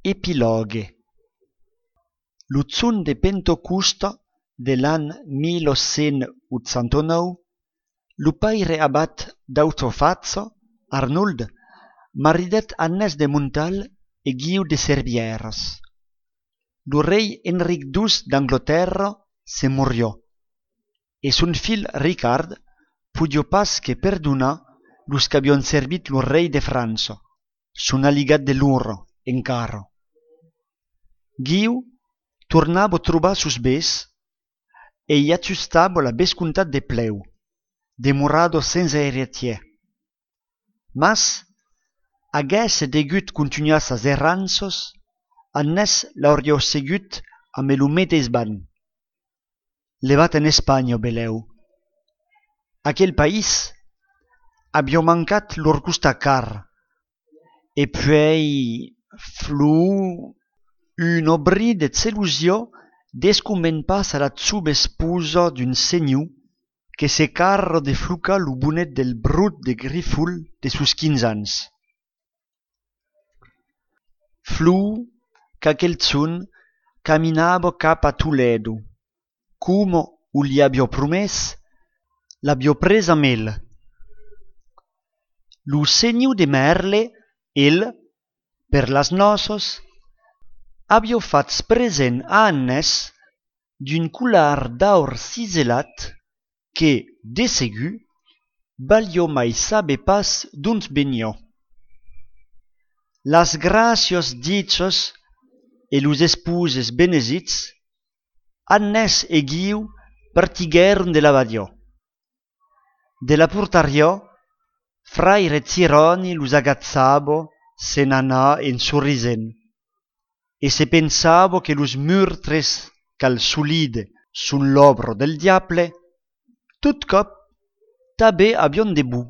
Epilogue. L'utzun de Pentocusta de l'an 1889, lu paire abat d'Autofazzo, Arnould, maridet Annes de Montal e Guiu de Servières. Lu rei Enric II d'Angloterra se murió, e son fil Ricard pudio pas que perdonar los qu'habion servit lu rei de França, son aligat de l'uro encara. Guiu tornavo trobar sus bes e i acciustavo la bescuntat de pleu, demorado senza heretier. Mas, aguesse degut continuar sas erranzos, Annes l'aurio segut amb el metes ban. Levat en Espanya, beleu. Aquel país avió mancat lor gusta car, e puei flu un obri de zelusió desconven pas a la tzuba esposa d'un senyor que se carro de fluca lo bonet del brut de griful de sus 15 ans. Flu qu'aquel zun caminava cap a Toledo, como u li abbio promès, l'abbio presa mel. Lo senyor de Merle, el, per las noces, abbio fats present a Annes d'un collar d'aur ciselat que, de segur, valio mai sabe pas d'uns beniò. Las gracios dichos e los esposes benesits, Annes e Guiu partigueron de l'abadio. De la portario, fraire Tironi los agazzabo se n'anà en sorrisen, e se pensavo que los murtres cal solide sun l'obro del diable, tot cop tabe avion de bu.